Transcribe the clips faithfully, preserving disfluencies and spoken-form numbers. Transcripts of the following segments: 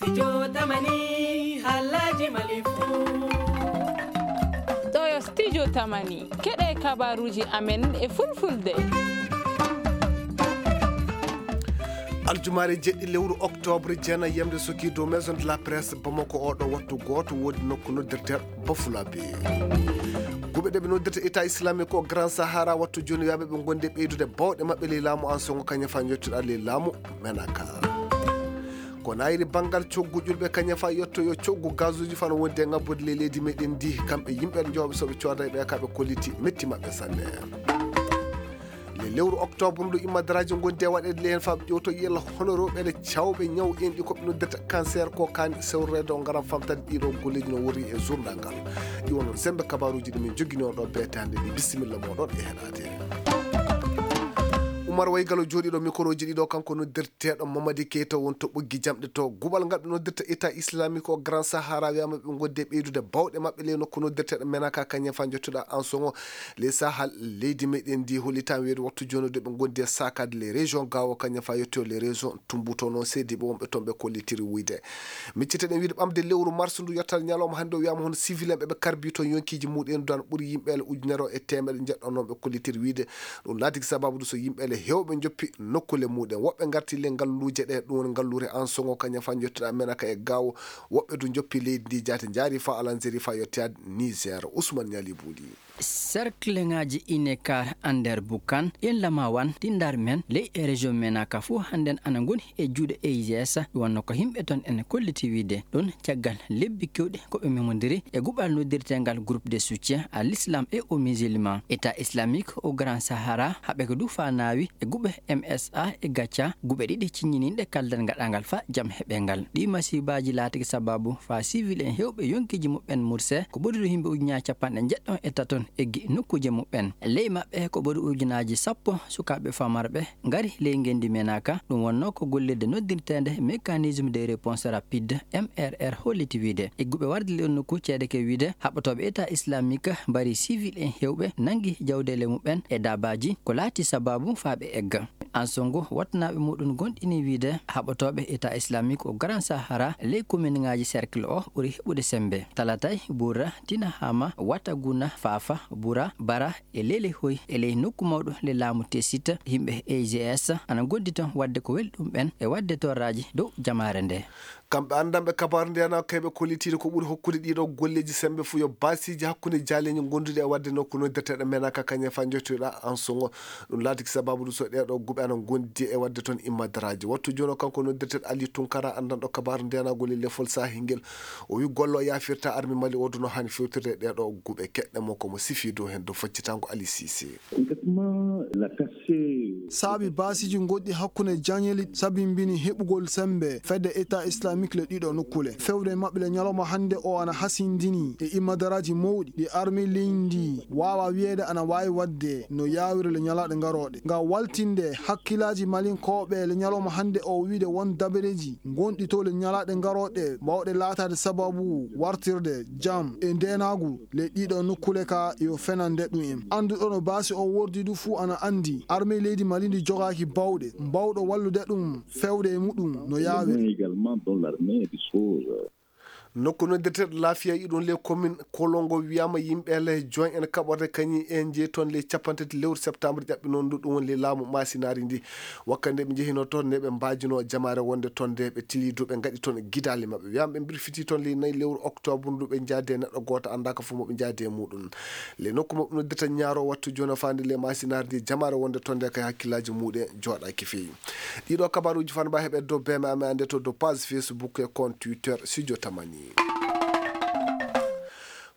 Studio Tamani, Halaji Malifu. Ɗo yo Studio Tamani, keɗe kabaruji amen e fulfulde. Aljumaare jeɗɗi lewru octobre, jeenayi yamde sokii dow Maison de la Presse Bamako. Oɗo wattu gooto woodi nokku noddirteeɗo Bafulabe. Guɓe ɗe ɓe noddirta État Islamique o Grand Sahara wattu jooni wiyaaɓe ɓe ngondi e ɓeydude bawɗe maɓɓe ley laamu Ansongo Kagnafa njottuɗa ley laamu Menaka. Ko nayri banngal coggu ƴulɓe Kagnafa yetto yo coggu gazuuji fano wondi e ŋabbude ley leydi meɗen ndi, kamɓe yimɓe jooɓe soɓe cooda e ɓe ka ɓe kolliti metti maɓɓe sanne. Le lewru octobre ndu immadaraaji ngondi e waɗeede le heen faaɓe ƴewto yella hono rewɓe ɗe cawɓe ñaw enɗi ko ɓe noddirta cancer ko kaani sewreede o ngaran famtade ɗiɗo golleeji no worri e journal ngal. Iwo noon sembe kabaruuji ɗi min jogini on ɗo beetaande ɗi bisimilla moɗon e heɗaade. Umar Waygalo jooɗiiɗo mikoroji ɗiɗo kanko noddirteeɗo Mamadi Keita won to ɓoggi jamɗe to guɓal ngal ɓe noddirta État Islamique o Grand Sahara wiyama ɓe ngondi e ɓeydude bawɗe maɓɓe ley nokku noddirteeɗo Menaka Kagnafa jottuɗa Ansongo. Les Sahel, leydi meɗen ndi hollitan weedu wattu jooni ɗo ɓe ngondi e sakade les régions gawo Kagnafa yetto les régions tumbuto noon seediɓe wonɓe toon ɓe kollitiri wuyde. Micciteɗen wiide ɓamde lewru mars ndu yettal ñalawma hannde o wiyama hono civil en ɓeɓe karbi toon yonkiji muɗen duwan ɓuuri yimɓe ele ujunere o e teemeɗe jeɗɗo noon ɓe kollitiri wiide ɗum laatiki sababu ɗum so yimɓe ele hewɓe joppi nokkule muɗen woɓɓe garti le ngalluuje ɗe ɗum woni ngalluure Ansongo Kagnafa jottuɗa Menaka e gawo woɓɓe du joppi leydi ndi jaate jaari fa Alanzeri fa yettoyaade Niger. Ousmane Ñali Buuli. Serkleŋaaji Inekar Ander Bukan, Inlama Wan, Tindar Men, ley e région Menaka fof hannden ana ngoni e juuɗe A I G S, wonno ko yimɓe toon ene kolliti wiide ɗum caggal lebbi keewɗi ko ɓe memondiri e guɓal noddirteengal groupe de soutien à l'islam et aux musulmans, État islamique au Grand Sahara, haɓe ko du fa naawi e guɓe M S A e Gacha, guɓe ɗiɗi ciññininɗe kaldal gaɗangal fa jam heɓengal. Ɗi masibaaji laatiki sababu fa civil en hewɓe yonkiji muɓɓen murse ko ɓuri ɗum yimɓe ujunnaaji capanɗe jeɗɗo e taton eggi nokkuuje muɓɓen. Ley maɓɓe ko ɓuri ujunnaaji sappo sukaaɓe famarɓe ngari ley ngenndi Menaka. Ɗum wonno ko gollirde noddirteende mécanisme de réponse rapide M R R holliti wiide. Egguɓe warde ley on nokku ceede ke wiide haɓɓotooɓe État islamique mbari civil en hewɓe nangi jawdeele muɓɓen e daabaaji ko laati sababu fa ɓe egga. Ansongo wattanaaɓe muɗum gonɗini wiide haɓotooɓe État islamique o Grand Sahara ley kominŋaaji cercle o ɓuri heɓude sembe. Talatay, Bura, Tinahama, Wataguna, Fafa, Bura, Bara e Lelehoy e ley nokku mawɗo le laamu Tesita, yimɓe A G S ana gondi toon waɗde ko weli ɗum ɓen e waɗde torraaji dow jamaare nde. Kamɓe anndanɓe kabaaru ndeenaagu kay ɓe kollitiino ko ɓuri hokkude ɗiiɗoo golleeji semmbe fuu yo baasiiji hakkunde jaaleeji ngonduɗi e waɗde nokku noddirteeɗo Menaka Kañefa njottoyɗaa Ansoŋo. Ɗum laatiki sabaabu ɗum so ɗeeɗoo guɓe ana ngondi e waɗde toon immadaraaji. Wattu jooni o kanko noddirteeɗo Aliyu Tunkara anndanɗo kabaaru ndeenaagu e lefol saahi ngel. O wiyi golle o yaafirta armi Mali o duno haani fewtirde e ɗeeɗoo guɓe keɗɗe mo ko mo sifii dow heen dow faccitaango Ali Siise. Saabi baasiiji goɗɗi hakkunde jañeli sabimbini heɓugol semmbe fedde État islamique le ɗiɗo nokkule. Fewde maɓɓe le ñalawma hannde o ana hasindini e immadaraaji mawɗi ɗi armée leydi ndi waawa wiyeede ana waawi waɗde no yaawiri le ñalaaɗe garooɗe. Ngam waltinde hakkillaaji Malinkooɓe le ñalawma hannde o wiide won dabareeji gonɗi to le ñalaaɗe garooɗe baawɗe laataade sababu wartirde jam e ndeenaagu le ɗiɗo nokkule ka yo fenande ɗum en. Annduɗo no baasi o wordi du fuu ana anndi armée leydi Mali ndi jogaaki baawɗe mbawɗo wallude ɗum fewde e muɗum no yaawiri. Nokku noddirteeɗo Laafiya iɗum ley commune Kolongo wiyama yimɓe ley join en kaɓorde kañi en jeyi toon ley capanɗe tati lewru septembre ƴaɓɓi noon ndu ɗum woni ley laamu masinaari ndi. Wakkati nde ɓe njehino toon nde ɓe mbaajino jamaare wonde toon nde ɓe tili du ɓe ngaɗi toon gidaali maɓɓe wiyama ɓe mbirfiti toon ley nayi lewru octobre ndu ɓe njaadi e neɗɗo gooto anndaaka fof mo ɓe njaadi e muɗum. Ley nokku maɓɓe noddirta ñaaro wattu jooni o faandi ley masinaari ndi jamaare wonde toon nde kay hakkillaaji muɗum jooɗaaki feewi. Ɗiɗo kabaruuji fan mba heɓe dow beme amen annde to dow page Facebook e compte Twitter Studio Tamani.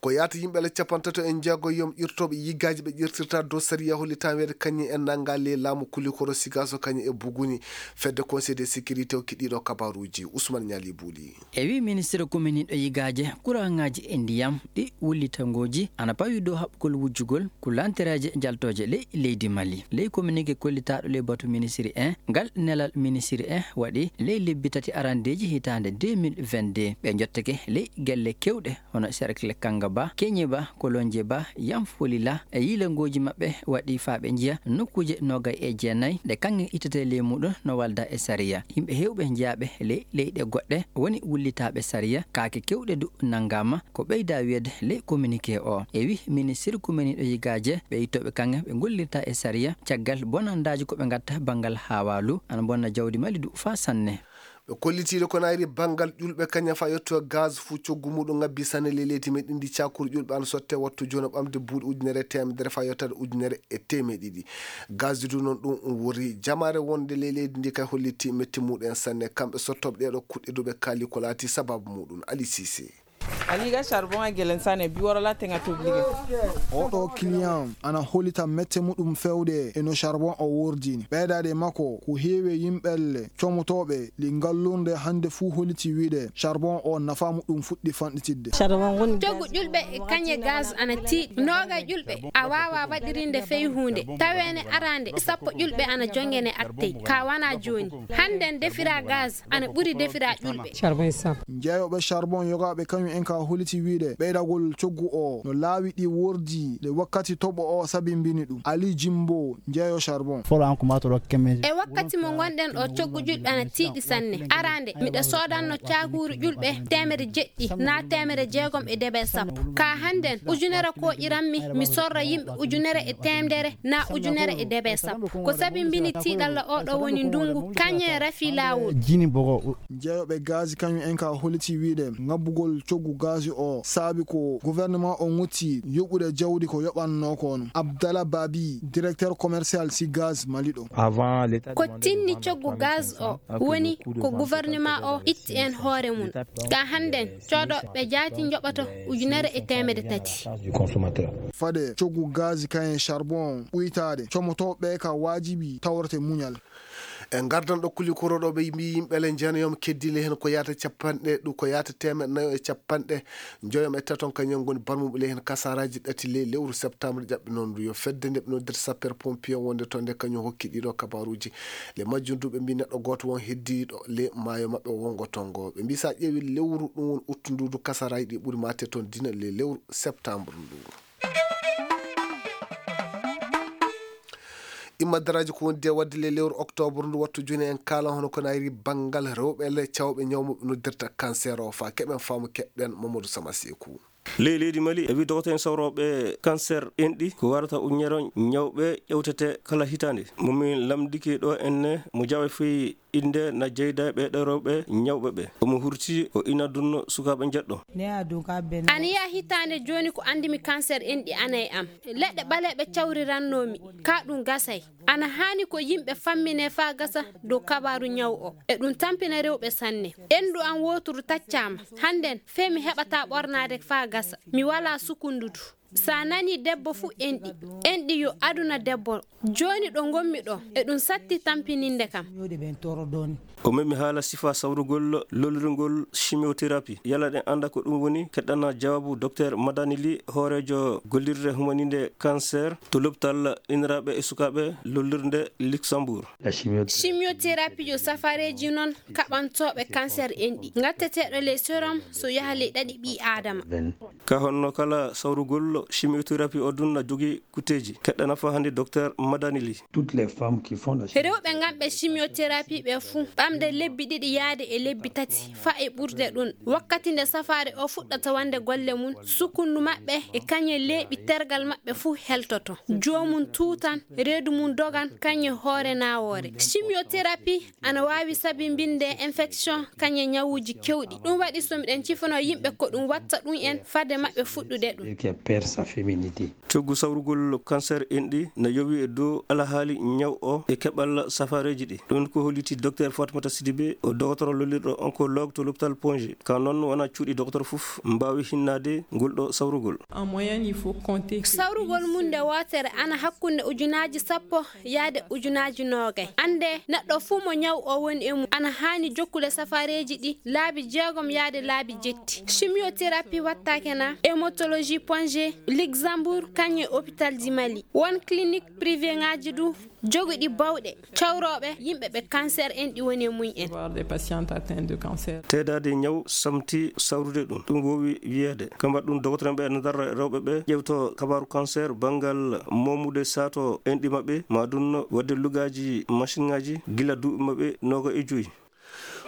Ko yaata yimɓe le capantato e njeego yom ƴirtooɓe yigaaji ɓe ƴirtirta dow sariya hollitan weede kañum en nannga ley laamu kulikoro sigaso kañum e buguni fedde conseil de sécurité o kiɗiɗo kabaruuji Ousmane Ñaali Buuli. E wi ministre kominiɗo yigaaje kuraŋaaji e ndiyam ɗi wullitangooji ana pawi dow haɓɓugol wujjugol ko lantereeje jaltooje ley leydi Mali. Ley kominike kollitaaɗo ley batu ministiri en, ngal nelal ministiri en waɗi ley lebbi tati arandeeji hitaande deux mille vingt-deux. Ɓe njottake ley gelle kewɗe hono cercle Kanga Ba, Keñe Ba, Kolonje Ba, Yam Folila e yiilangooji maɓɓe waɗi faa ɓe njiya nokkuuje noogay e jeenay ɗe kaŋŋe ittetee ley muuɗum no walda e sariya. Yimɓe heewɓe jeyaaɓe ley leyɗe goɗɗe woni wullitaaɓe sariya, kaake keewɗe du nanngaama, ko ɓeydaa wiyeede ley communiqué o. E wi ministir kumeniiɗo yigaaje, ɓe ittooɓe kaŋŋe ɓe ngollirta e sariya caggal bonandaaji ko ɓe ngatta banngal haawaalu, ana bonna jawdi Mali du faa sanne. Ɓe kollitiiɗo ko nayri banngal ƴulɓe kañum faa yetto gaz fuu coggu muuɗum ŋabbi sanne ley leydi meɗen ndi. Cakuru ƴulɓe ana sotte wattu jooni ɓamde buuɗi ujunere e teemedere faa yettaade ujunere e teemeɗe ɗiɗi. Gaz du noon ɗum woni jamaare wonde ley leydi ndi kay holliti metti muuɗum en sanne. Kamɓe sottooɓe ɗeeɗo kuɗɗe du ɓe kaali ko laati sabaabu muuɗum. Ali Sise. Aliga charbon a gelen sane bi worola tenga toblige. Oɗo client ana holita mette muɗum fewde e no charbon o wordini. Ɓeydaade makko ko heewi yimɓelle comotooɓe li ngallurde hannde fuu holiti wiide charbon o nafa muɗum fuɗɗi fanɗitidde. Coggu ƴulɓe e kañe gaz ana tiiɗi. Nooga ƴulɓe a waawa waɗirinde fey huunde. Taweene araande sappo ƴulɓe ana jongene attey. Ka wana jooni. Hannden defira gaz ana ɓuri defira ƴulɓe. Jeeyooɓe charbon yogaaɓe kañum en ka holiti wiide ɓeydagol coggu o no laawi ɗi wordi nde wakkati toɓo o sabimbini ɗum. Ali Jimbo, jeeyo charbon. E wakkati mo ngonɗen o, coggu ƴulɓe ana tiiɗi sanne. Araande, miɗa soodanno caakuuru ƴulɓe teemere jeɗɗi na teemere jeegom e debe sappo. Ka hannden, ujunere kooƴiranmi, mi sorra yimɓe ujunere e teemedere na ujunere e debe sappo. Ko sabimbini tiiɗalla oɗo woni ndungu, kañe rafi laawol. Jeeyooɓe gaz kañum en ka holiti wiide ngabbugol coggu gaz o saabi ko gouvernement o ŋotti yoɓude jawdi ko yoɓannoo ko no. Abdallah Babi, directeur commercial si gaz Mali ɗo. Ko tinni coggu gaz o woni ko gouvernement o itti en hoore mum. Ka hannden, coodo ɓe jaati njoɓoto ujunere e teemedde tati. Fade coggu gaz kañum charbon ɓuytaade, comotooɓe ka waajibi tawrete muñal. E ngardan ɗo kuli koroɗo ɓe mbi yimɓe le njanayom keddi le hen ko yaata capanɗe ɗu ko yaata teemeɗe nayo e capanɗe njoyom e taton kañum ngoni barmuɓe le hen kasaraji ɗati le lewru septembre ƴaɓɓe noon ndu yo fedde nde ɓe noddirta sapeur pompier wonde toon nde kañum hokki ɗiɗo kabaruji. Le majjum du ɓe mbi neɗɗo gooto won heddiɗo le maayo maɓɓe wongo tongo ɓe mbi sa ƴeewi lewru ɗum won uttu ndu du kasaraji ɗi ɓuri mate toon dina le lewru septembre ndu. Imma daraaji ko wondi e waɗde le lewru octobre ndu wattu jooni en kaala hono ko nayri banngal rewɓe le cawɓe ñawmuɓe noddirta cancer o fa keɓen faamu keɓɗen Mamadou Sama Seeku. Ley leydi Mali e wi dogoto en sawrooɓe cancer enɗi ko warata uññero ñawɓe ƴewtete kala hitaande. Mo min lamdiki ɗo enne mo jawe fii innde na jeyda ɓeeɗo rewɓe ñawɓe ɓe. Omo hurti o ina dunno sukaaɓe njeɗɗo. Ana yiya hitaande jooni ko anndimi cancer enɗi ana e am. Leɗɗe ɓaleeɓe cawrirannoomi ka ɗum gasay. Ana haani ko yimɓe fammine faa gasa dow kabaaru ñaw o. E ɗum tampina rewɓe sanne. Enndu am wooturu taccaama. Hannden fee mi heɓataa ɓornaade faa gasa. Mi walaa sukundu du. Sa nani debbo fu enɗi. Enɗi yo aduna debbo. Jooni ɗo ngonmi ɗo, e ɗum satti tampininde kam. O memi haala sifa sawrugol lollirgol chimiothérapie. Yala ɗen annda ko ɗum woni? Keɗɗana jawaabu Docteur Madani Ly, hooreejo gollirde humaninde cancer to lopital iniraaɓe e sukaaɓe lollirde Luxembourg. Chimiothérapie yo safareeji non kaɓantooɓe cancer enɗi. Ngatteteeɗo ley sérum so yaha ley ɗaɗi ɓii Aadama. Ka honno kala sawrugol chimiothérapie o dun na jogi kuteeji? Keɗɗa nafa hannde Docteur Madani Ly. Rewɓe nganɓe chimiothérapie ɓe fuu ɓamde lebbi ɗiɗi yaade e lebbi tati fa e ɓurde ɗun. Wakkati nde safaare o fuɗɗata wande golle mun, sukundu maɓɓe e kañe leeɓi tergal maɓɓe fuu heltoto. Joomum tuutan, reedu mum dogan, kañe hoore naawoore. Chimiothérapie ana waawi sabinbinde infection kañe ñawuuji kewɗi. Ɗum waɗi so miɗen cifanoo yimɓe ko ɗum watta ɗum en fade maɓɓe fuɗɗude ɗum. Coggu sawrugol cancer enɗi na yowi e dow alahaali ñaw o e keɓal safareeji ɗi. Ɗum ko holliti Docteur Fatoumata Sidibé, o dogotoro lollirɗo oncologue to l'hôpital Pongé. Ka noon wona cuuɗi dogotoro fof mbaawi hinnaade ngol ɗo sawrugol. Sawrugol mum nde wootere ana hakkunde ujunaaji sappo yaade ujunaaji noogay. Annde neɗɗo fuu mo ñaw o woni e mum ana haani jokkude safareeji ɗi laabi jeegom yaade laabi jetti. Chimiothérapie wattaake na hématologie Pongé Luxembourg, kañum e hôpital ji Mali. Won clinique privé ŋaaji du joguɗi bawɗe cawrooɓe yimɓe ɓe cancer en ɗi woni e mum en. Teedaade ñaw samti sawrude ɗum. Ɗum woowi wiyeede. Kambat ɗum, dogotoreeɓe ene ndarra rewɓe ɓe ƴeewto kabaaru cancer banngal moomude saato enɗi maɓɓe, ma ɗum waɗde lugaaji machine ŋaaji gila duuɓi maɓɓe nooga e joyi.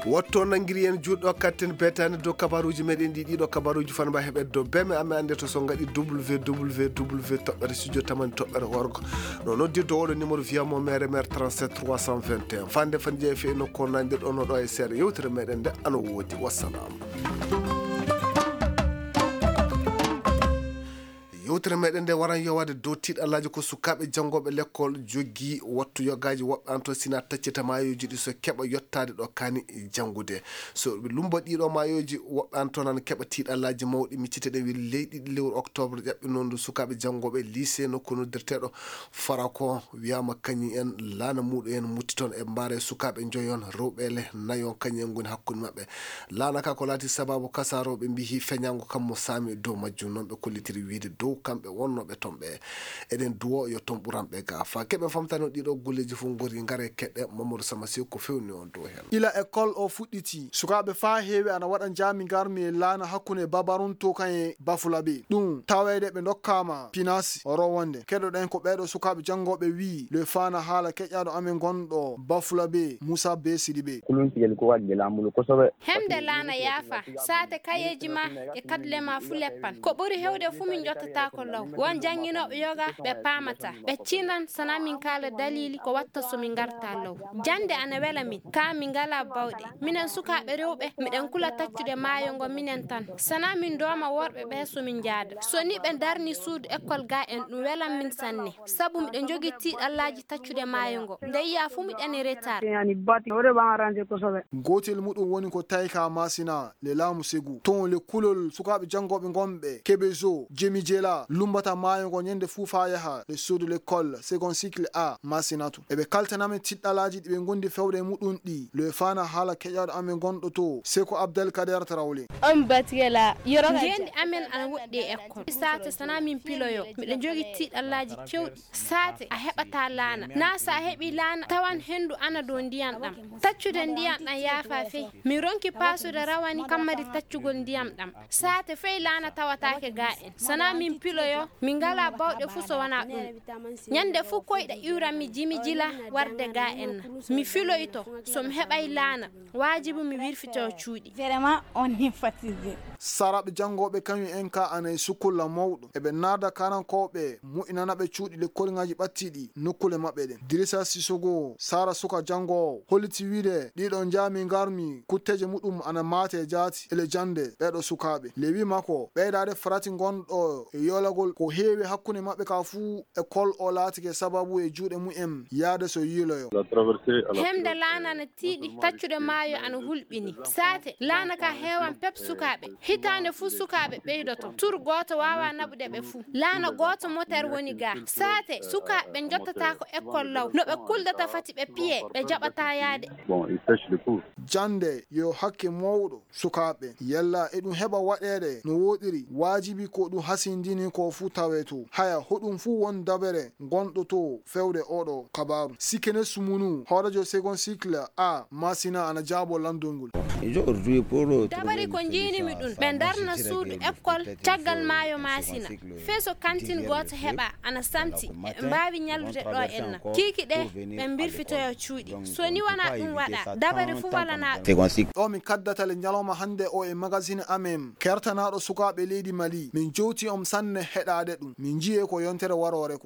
Wotto nanngiri en juuɗo katten beetaani dow kabaruuji meɗen ɗi. Ɗiɗo kabaruuji fana mba heɓet dow beme amen annde to so ngaɗi www toɓɓere studio tamani toɓɓere org. No noddirde oɗo numéro via mo mere mere trente-sept trois cent vingt et un. Fande fande jeeya fe no kornandir ɗo no ɗo e seeɗa yewtere meɗen nde ano woodi. Wassalam. Yewtere meɗen nde waran yowaade dow tiiɗallaaji ko sukaaɓe janngooɓe lekkol jogii wattu yogaaji woɓɓe an to sina taccita maayooji ɗi so keɓa yottaade ɗo kaani janngude. So ɓe lumba ɗiɗo maayooji woɓɓe an toon ana keɓa tiiɗallaaji mawɗi. Miccite ɗe weli leyɗi ɗi lewru octobre ƴaɓɓi noon ndu sukaaɓe janngooɓe lycée nokku noddirteeɗo Farako wiyama kañum en laana muɗum en mutti toon e mbaare sukaaɓe njoyon rewɓe le nayon kañum en ngoni hakkunde maɓɓe. Laana ka ko laati sababu kasa rewɓe mbihi feñango kam mo saami dow majjum. Noon ɓe kollitiri wiide dow kamɓe wonnooɓe toon ɓe. Eɗen duwo yo toon ɓuranɓe ga. Fa keɓe famtano ɗiɗo golleji fof ngori ngare keɗɗe Mamadou Sama Sew ko fewni on dow heen. Ila école o fuɗɗiti, sukaaɓe faa heewi ana waɗa njaami ngarmi e laana hakkunde Babarun to kan e Bafulabe. Ɗum taweede ɓe ndokkaama pinaasi rowonde. Keɗoɗen ko ɓeeɗo sukaaɓe janngooɓe wii le faana haala keƴaaɗo amen gonɗo Bafulabe, Musa Be Sidibe. Kulun tigel ko waɗde laamu ndu ko soɓe. Hemde laana yaafa, saate kayeeji ma e kadle ma fu leppan. Ko ɓuri hewde fu min njottata ko law. Won jannginooɓe yoga ɓe paamata. Ɓe cinan sana min kaala dalili ko watta so min ngarta law. Jannde ana wela min, kaa min ngalaa bawɗe. Minen sukaaɓe rewɓe, miɗen kula taccude maayo ngo minen tan. Sana min dooma worɓe ɓe so min njaada. So ni ɓe ndarni suudu école ga en, ɗum welan min sanne. Sabu miɗen jogii tiiɗallaaji taccude maayo ngo. Nde yiyaa fu miɗen e retard. Gootel muɗum woni ko Tayka Masina, le laamu Segu. Toon le kulol sukaaɓe janngooɓe ngonɓe Kebezo, Jemi Jela, lumbata maayo ngo ñande fuu faa yaha le suudu l'école second cycle A Masinatu. Eɓe kaltana men tiɗɗalaaji ɗi ɓe ngondi fewde e muɗum ɗi. Le faana haala keƴaaɗo amen gonɗo to, Seko Abdel Kader Tarawle. On batgela, yoro. Ngeendi amen ana woɗɗi e école. Saate sana min piloyo, miɗo jogii tiiɗallaaji kewɗi. Saate a heɓataa laana. Naa so a heɓii laana, tawan henndu ana dow ndiyam ɗam. Taccude ndiyam ɗam yaafa fey. Mi ronki paasude rawani kammadi taccugol ndiyam ɗam. Saate fey laana tawataake ga en. Sana min piloyo, min ngalaa bawɗe fuu so wonaa ɗum. Ñande fuu koyɗa iwran mi jimi jila warde ga en na. Mi filoyto, so mi heɓay laana, waajibu mi wirfito cuuɗi. Vraiment, on est fatigué. Saraaɓe janngooɓe kañum en ka ana e sukulla mawɗo. Eɓe naada karankooɓe, moƴƴinana ɓe cuuɗi lekkolŋaaji ɓattiiɗi nokkuule maɓɓe ɗen. Dirisa Sisogo, Sara suka janngoowo, holliti wiide ɗiɗo njaami ngarmi kutteeje muɗum ana maate e jaati ele jannde ɓeeɗo sukaaɓe. Lewi makko, ɓeydaade farati ngonɗo e yoolagol ko heewi hakkunde maɓɓe ka fuu école o laatike sababu e juuɗe mumen yaade so yiiloyo. Hemde laana na tiiɗi, taccude maayo ana hulɓini. Saate, laana ka heewan pep sukaaɓe. Hitaande fuu sukaaɓe ɓeydoto. Tur gooto waawaa naɓude ɓe fuu. Laana gooto moter woni ga. Saate, sukaaɓe njottataako école law. No ɓe kuldata fati ɓe piye, ɓe jaɓataa yaade. Jannde yo hakke mawɗo. Sukaaɓe, yalla eɗum heɓa waɗeede no wooɗiri? Waajibi ko ɗum hasindini ko fuu tawee to. Haya, hoɗum fuu won dabere ngonɗo to fewde oɗo kabaaru. Sikene Sumunu, hooreejo second cycle A, Masina ana jaabo lanndol ngol. Dabari ko njiinimi ɗum, ɓe ndarna suudu école caggal maayo Masina. Fee so kantin gooto heɓa, ana samti, eɓe mbaawi ñallude ɗo en na. Kiiki ɗe, ɓe mbirfitoyo cuuɗi. So ni wonaa ɗum waɗa, dabari fuu walanaa ɗum. Ɗo min kaddata le ñalawma hannde o e magazine amen, kertanaaɗo sukaaɓe leydi Mali. Min jowti on sanne heɗaade ɗum. Min njiyee ko yontere waroore ko.